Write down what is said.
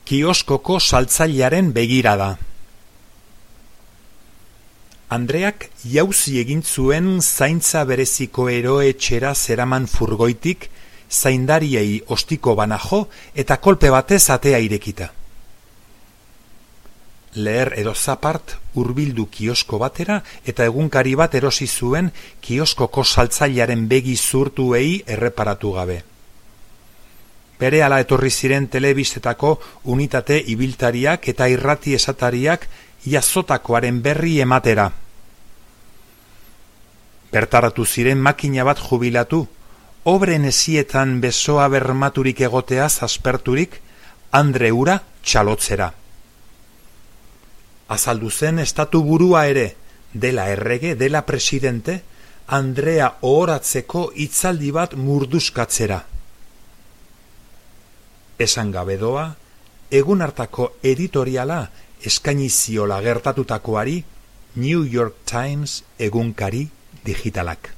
Kioskoko saltzailearen begirada. Andreak jauzi egin zuen zaintza bereziko eroetxera zeraman furgoitik, zaindariei ostiko bana jo eta kolpe batez atea irekita. Leher edo zapart hurbildu kiosko batera eta egunkari bat erosi zuen kioskoko saltzailearen begi zurtuei erreparatu gabe. Berehala etorri ziren telebistetako unitate ibiltariak eta irrati esatariak jazotakoaren berri ematera. Bertaratu ziren makina bat jubilatu, obren ezietan besoa bermaturik egoteaz asperturik, Andre hura txalotzera. Azaldu zen estatu burua ere, dela errege, dela presidente, Andrea ohoratzeko hitzaldi bat murduskatzera. Esan gabe doa, egun hartako editoriala eskaini ziola gertatutakoari New York Times egunkari digitalak.